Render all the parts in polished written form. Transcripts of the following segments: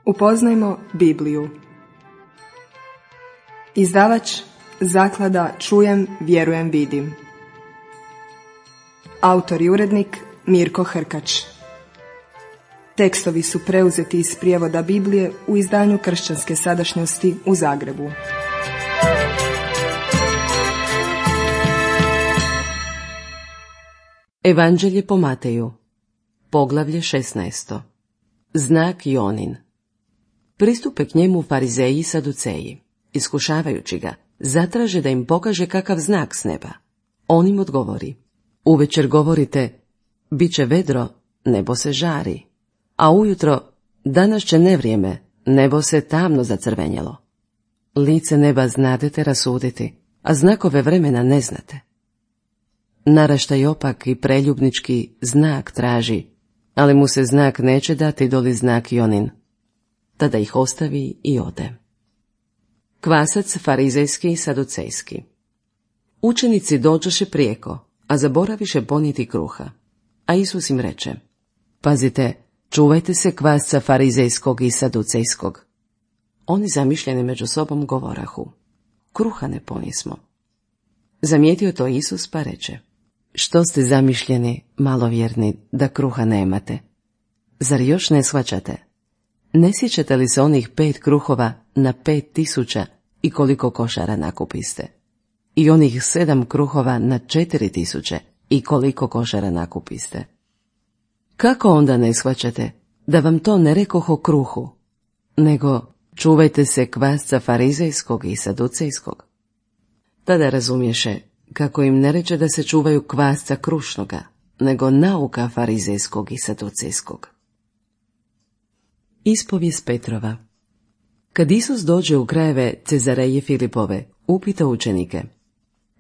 Upoznajmo Bibliju. Izdavač Zaklada Čujem, vjerujem, vidim. Autor i urednik Mirko Hrkač. Tekstovi su preuzeti iz prijevoda Biblije u izdanju Kršćanske sadašnjosti u Zagrebu. Evanđelje po Mateju, poglavlje 16. Znak Jonin. Pristupe k njemu farizeji i saduceji, iskušavajući ga, zatraže da im pokaže kakav znak s neba. On im odgovori: uvečer govorite, bit će vedro, nebo se žari, a ujutro, danas će nevrijeme, nebo se tamno zacrvenjelo. Lice neba znadete rasuditi, a znakove vremena ne znate. Naraštaj opak i preljubnički znak traži, ali mu se znak neće dati doli znak Jonin. Tada ih ostavi i ode. Kvasac farizejski i saducejski. Učenici dođoše prijeko, a zaboraviše ponijeti kruha. A Isus im reče: pazite, čuvajte se kvasca farizejskog i saducejskog. Oni zamišljeni među sobom govorahu: kruha ne ponismo. Zamijetio to Isus pa reče: što ste zamišljeni, malovjerni, da kruha nemate? Zar još ne shvaćate? Ne sjećate li se onih 5 kruhova na 5.000 i koliko košara nakupiste? I onih 7 kruhova na 4.000 i koliko košara nakupiste? Kako onda ne shvaćate da vam to ne rekoh o kruhu, nego čuvajte se kvasca farizejskog i saducejskog? Tada razumješe kako im ne reče da se čuvaju kvasca krušnoga, nego nauka farizejskog i saducejskog. Ispovijest Petrova. Kad Isus dođe u krajeve Cezareje Filipove, upita učenike: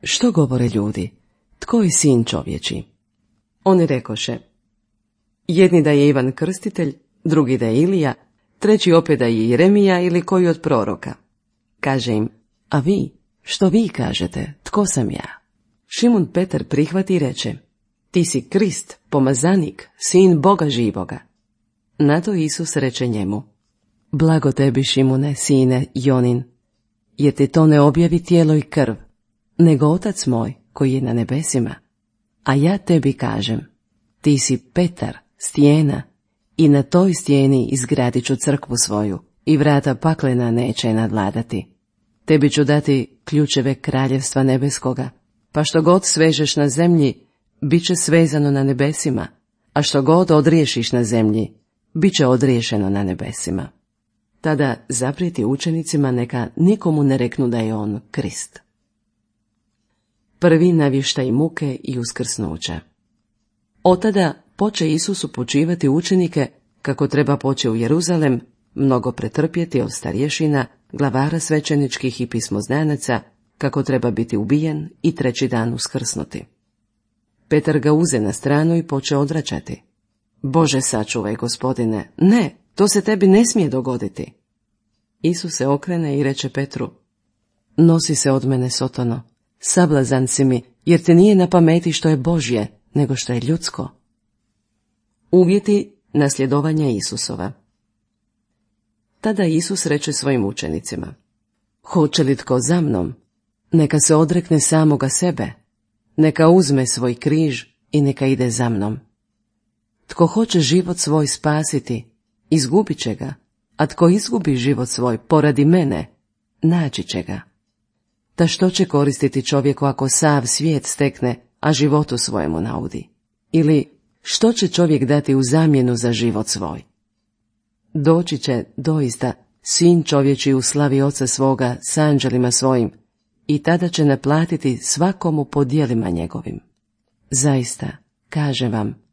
što govore ljudi, tko je sin čovječi? Oni rekoše: jedni da je Ivan Krstitelj, drugi da je Ilija, treći opet da je Jeremija ili koji od proroka. Kaže im: a vi, što vi kažete, tko sam ja? Šimun Petar prihvati i reče: ti si Krist, pomazanik, sin Boga živoga. Na to Isus reče njemu: blago tebi, Šimune, sine Jonin, jer ti to ne objavi tijelo i krv, nego Otac moj koji je na nebesima. A ja tebi kažem, ti si Petar, stijena, i na toj stijeni izgradit ću crkvu svoju, i vrata paklena neće je nadvladati. Tebi ću dati ključeve kraljevstva nebeskoga, pa što god svežeš na zemlji, bit će svezano na nebesima, a što god odriješiš na zemlji, bit će odriješeno na nebesima. Tada zaprijeti učenicima neka nikomu ne reknu da je on Krist. Prvi navještaj muke i uskrsnuća. Otada poče Isus upućivati učenike kako treba poći u Jeruzalem, mnogo pretrpjeti od starješina, glavara svećeničkih i pismoznanaca, kako treba biti ubijen i 3. dan uskrsnuti. Petar ga uze na stranu i poče odvraćati: Bože, sačuvaj, Gospodine, ne, to se tebi ne smije dogoditi. Isus se okrene i reče Petru: nosi se od mene, Sotono, sablazan si mi, jer ti nije na pameti što je Božje, nego što je ljudsko. Uvjeti nasljedovanja Isusova. Tada Isus reče svojim učenicima: hoće li tko za mnom, neka se odrekne samoga sebe, neka uzme svoj križ i neka ide za mnom. Tko hoće život svoj spasiti, izgubit će ga, a tko izgubi život svoj poradi mene, naći će ga. Ta što će koristiti čovjeku ako sav svijet stekne, a životu svojemu naudi? Ili što će čovjek dati u zamjenu za život svoj? Doći će doista sin čovječi u slavi Oca svoga s anđelima svojim, i tada će naplatiti svakomu po djelima njegovim. Zaista, kažem vam,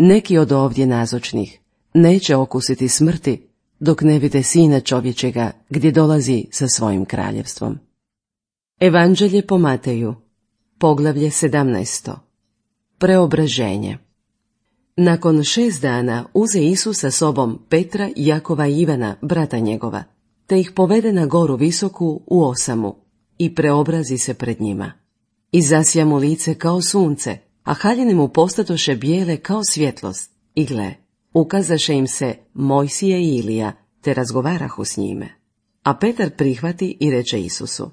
neki od ovdje nazočnih neće okusiti smrti dok ne vide Sina čovječega gdje dolazi sa svojim kraljevstvom. Evanđelje po Mateju, poglavlje 17. Preobraženje. Nakon 6 dana uze Isus sa sobom Petra, Jakova i Ivana, brata njegova, te ih povede na goru visoku u osamu i preobrazi se pred njima. I zasja mu lice kao sunce, a haljine mu postadoše bijele kao svjetlost. I gle, ukazaše im se Mojsije i Ilija, te razgovarahu s njime. A Petar prihvati i reče Isusu: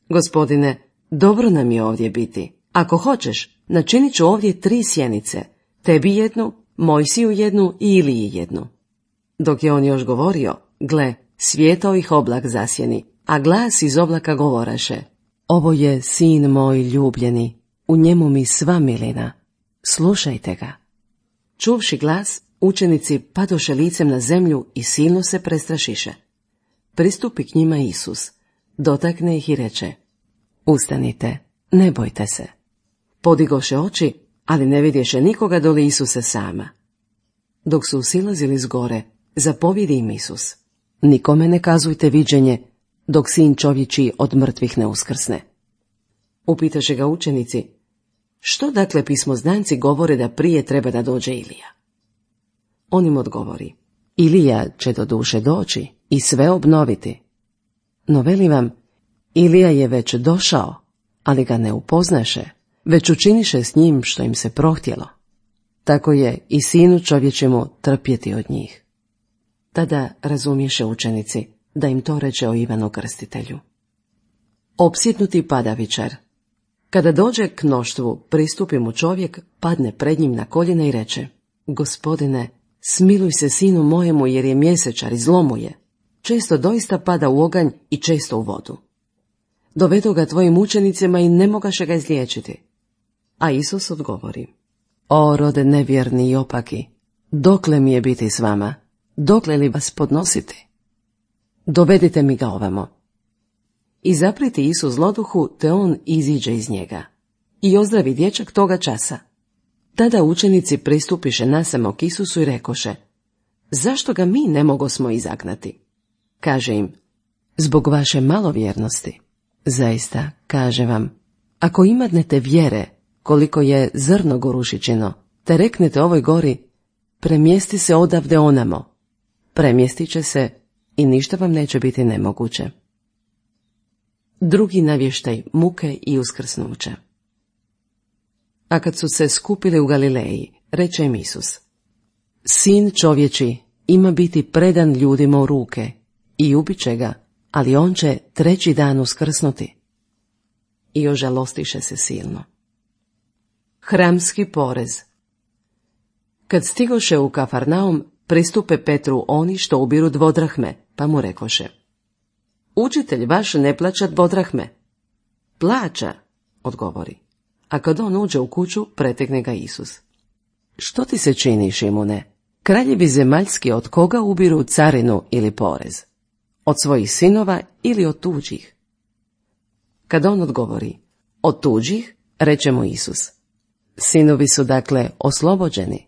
Gospodine, dobro nam je ovdje biti. Ako hoćeš, načinit ću ovdje 3 sjenice, tebi jednu, Mojsiju jednu i Iliji jednu. Dok je on još govorio, gle, svijetao ih oblak zasjeni, a glas iz oblaka govoraše: Ovo je sin moj ljubljeni, u njemu mi sva milina, slušajte ga. Čuvši glas, učenici padoše licem na zemlju i silno se prestrašiše. Pristupi k njima Isus, dotakne ih i reče: Ustanite, ne bojte se. Podigoše oči, ali ne vidješe nikoga doli Isuse sama. Dok su silazili s gore, zapovjedi im Isus: Nikome ne kazujte viđenje, dok sin čovječji od mrtvih ne uskrsne. Upitaše ga učenici: Što dakle pismoznanci govore da prije treba da dođe Ilija? On im odgovori: Ilija će doduše doći i sve obnoviti. No veli vam, Ilija je već došao, ali ga ne upoznaše, već učiniše s njim što im se prohtjelo. Tako je i sinu čovječemu trpjeti od njih. Tada razumješe učenici da im to reče o Ivanu Krstitelju. Opsjednuti padavičar. Kada dođe k mnoštvu, pristupi mu čovjek, padne pred njim na koljena i reče: Gospodine, smiluj se sinu mojemu, jer je mjesečar i zlo mu je. Često doista pada u oganj i često u vodu. Dovedu ga tvojim učenicima i ne mogaše ga izliječiti. A Isus odgovori: O rode nevjerni i opaki, dokle mi je biti s vama, dokle li vas podnositi? Dovedite mi ga ovamo. I zapriti Isus zloduhu, te on iziđe iz njega. I ozdravi dječak toga časa. Tada učenici pristupiše nasamo k Isusu i rekoše: Zašto ga mi ne mogosmo izagnati? Kaže im: Zbog vaše malovjernosti. Zaista, kaže vam, ako imadnete vjere, koliko je zrno gorušičino, te reknete ovoj gori: Premjesti se odavde onamo, premjestit će se i ništa vam neće biti nemoguće. Drugi navještaj muke i uskrsnuće. A kad su se skupili u Galileji, reče im Isus: Sin čovječi ima biti predan ljudima u ruke i ubit će ga, ali on će 3. dan uskrsnuti. I ožalostiše se silno. Hramski porez. Kad stigoše u Kafarnaum, pristupe Petru oni što ubiru 2 drahme, pa mu rekoše: Učitelj vaš ne plaća 2 drahme. Plaća, odgovori. A kad on uđe u kuću, pretekne ga Isus. Što ti se čini, Šimune? Kraljevi zemaljski od koga ubiru carinu ili porez? Od svojih sinova ili od tuđih? Kad on odgovori: Od tuđih, reče mu Isus: Sinovi su dakle oslobođeni,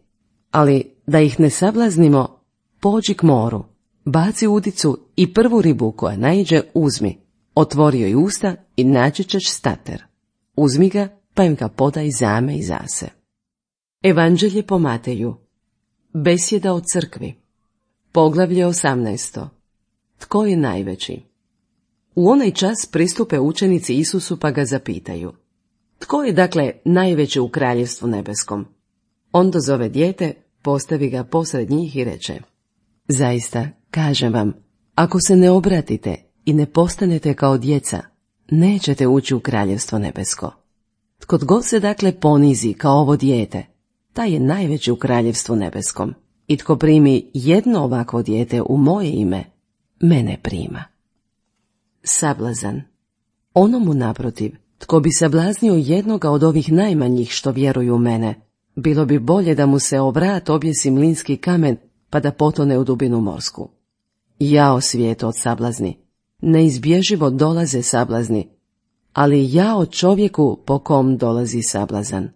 ali da ih ne sablaznimo, pođi k moru, baci udicu i prvu ribu koja naiđe uzmi, otvori joj usta i naći ćeš stater. Uzmi ga, pa im ga podaj zame i zase. Evanđelje po Mateju. Besjeda o crkvi. Poglavlje 18. Tko je najveći? U onaj čas pristupe učenici Isusu pa ga zapitaju: Tko je dakle najveći u kraljevstvu nebeskom? On dozove dijete, postavi ga posred njih i reče: Zaista, kažem vam, ako se ne obratite i ne postanete kao djeca, nećete ući u kraljevstvo nebesko. Tko god se dakle ponizi kao ovo dijete, taj je najveći u kraljevstvu nebeskom. I tko primi jedno ovakvo dijete u moje ime, mene prima. Sablazan. Onomu naprotiv, tko bi sablaznio jednoga od ovih najmanjih što vjeruju u mene, bilo bi bolje da mu se o vrat objesi mlinski kamen pa da potone u dubinu morsku. Jao svijetu od sablazni, neizbježivo dolaze sablazni, ali jao čovjeku po kom dolazi sablazan.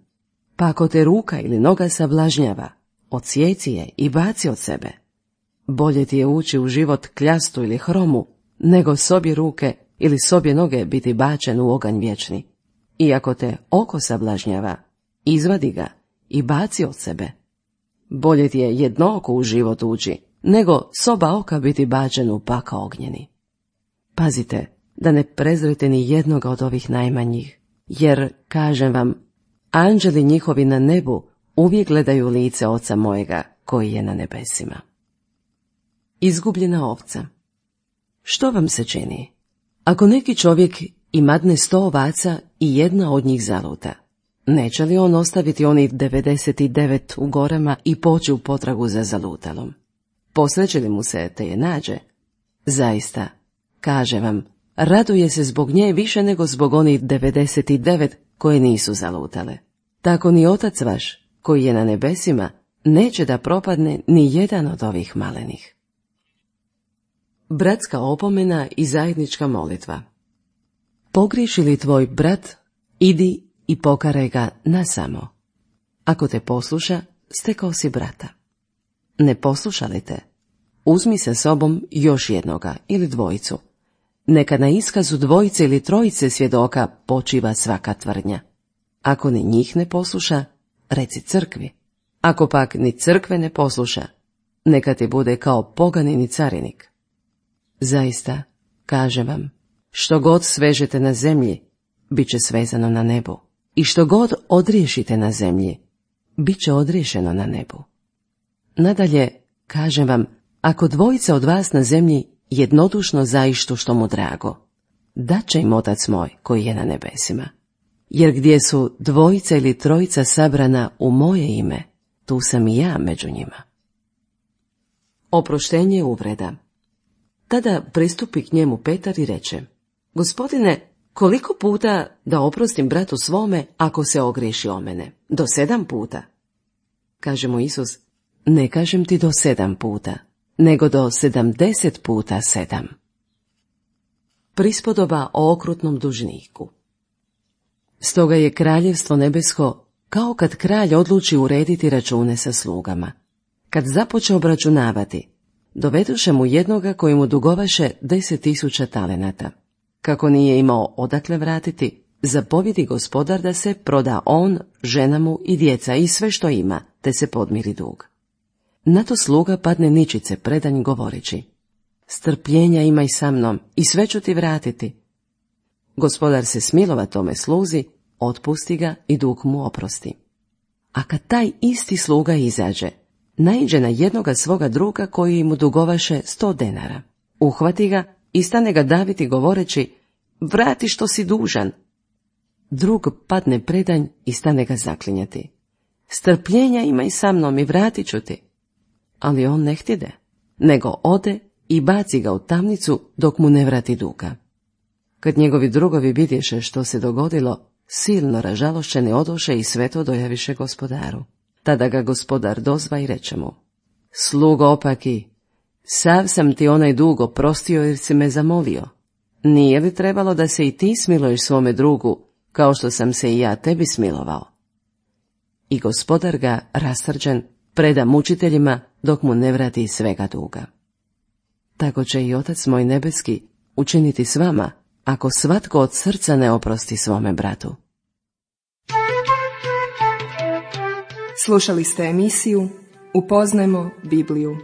Pa ako te ruka ili noga sablažnjava, odsjeci je i baci od sebe. Bolje ti je ući u život kljastu ili hromu, nego s obje ruke ili s obje noge biti bačen u oganj vječni. I ako te oko sablažnjava, izvadi ga i baci od sebe. Bolje ti je jedno oko u život ući, nego s oba oka biti bačen u pakao ognjeni. Pazite da ne prezrete ni jednoga od ovih najmanjih, jer, kažem vam, anđeli njihovi na nebu uvijek gledaju lice Oca mojega koji je na nebesima. Izgubljena ovca. Što vam se čini? Ako neki čovjek imadne 100 ovaca i jedna od njih zaluta, neće li on ostaviti onih 99 u gorama i poći u potragu za zalutalom? Posreće li mu se te je nađe? Zaista, kaže vam, raduje se zbog nje više nego zbog onih 99 koje nisu zalutale. Tako ni Otac vaš, koji je na nebesima, neće da propadne ni jedan od ovih malenih. Bratska opomena i zajednička molitva. Pogriješi li tvoj brat, idi i pokaraj ga nasamo. Ako te posluša, stekao si brata. Ne posluša li te? Uzmi sa sobom još jednoga ili dvojicu. Neka na iskazu dvojice ili trojice svjedoka počiva svaka tvrdnja. Ako ni njih ne posluša, reci crkvi. Ako pak ni crkve ne posluša, neka ti bude kao poganini carinik. Zaista, kažem vam, što god svežete na zemlji, bit će svezano na nebu. I što god odriješite na zemlji, bit će odriješeno na nebu. Nadalje, kažem vam, ako dvojica od vas na zemlji jednodušno zaištu što mu drago, dat će im Otac moj koji je na nebesima. Jer gdje su dvojica ili trojica sabrana u moje ime, tu sam i ja među njima. Oproštenje uvreda. Tada pristupi k njemu Petar i reče: Gospodine, koliko puta da oprostim bratu svome ako se ogriješi o mene? Do 7 puta? Kaže mu Isus: Ne kažem ti do 7 puta, nego do 70 puta 7. Prispodoba o okrutnom dužniku. Stoga je kraljevstvo nebesko kao kad kralj odluči urediti račune sa slugama. Kad započe obračunavati, doveduše mu jednoga koji mu dugovaše 10.000 talenata. Kako nije imao odakle vratiti, zapovjedi gospodar da se proda on, žena mu i djeca i sve što ima, te se podmiri dug. Na to sluga padne ničice predanj govoreći: Strpljenja imaj sa mnom i sve ću ti vratiti. Gospodar se smilova tome sluzi, otpusti ga i dug mu oprosti. A kad taj isti sluga izađe, naiđe na jednoga svoga druga koji mu dugovaše 100 denara. Uhvati ga i stane ga daviti govoreći: Vrati što si dužan. Drug padne predanj i stane ga zaklinjati: Strpljenja imaj sa mnom i vratit ću ti. Ali on ne htjede, nego ode i baci ga u tamnicu dok mu ne vrati duga. Kad njegovi drugovi vidješe što se dogodilo, silno ražalošćeni odoše i sve to dojaviše gospodaru. Tada ga gospodar dozva i reče mu: Slugo opaki, sav sam ti onaj dug oprostio jer si me zamolio. Nije li trebalo da se i ti smiluješ svome drugu, kao što sam se i ja tebi smilovao? I gospodar ga, rasrđen, preda mučiteljima dok mu ne vrati svega duga. Tako će i Otac moj nebeski učiniti s vama, ako svatko od srca ne oprosti svome bratu. Slušali ste emisiju Upoznajmo Bibliju.